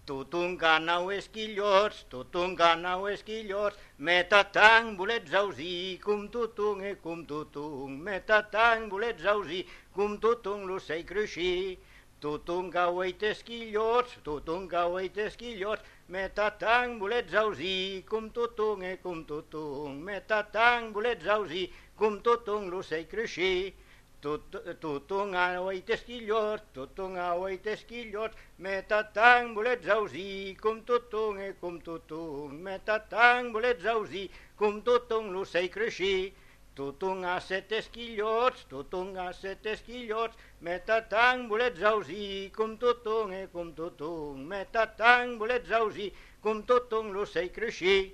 Tothom ganau esquillots, metatang bolets ausir, com tothom, metatang bolets ausir, com tothom l'ocell cruixir. Tothom gaueit esquillots, metatang bolets ausir, com tothom, metatang bolets ausir, com tothom l'ocell cruixir. Tothom gaueit esquillots, metatang bolets ausir, com tothom, metatang bolets ausir, com tothom l'ocell cruixir. Tothom ha set esquillots, metatang bolets ausir, com tothom, metatang bolets ausir, com tothom l'ocell cruixir.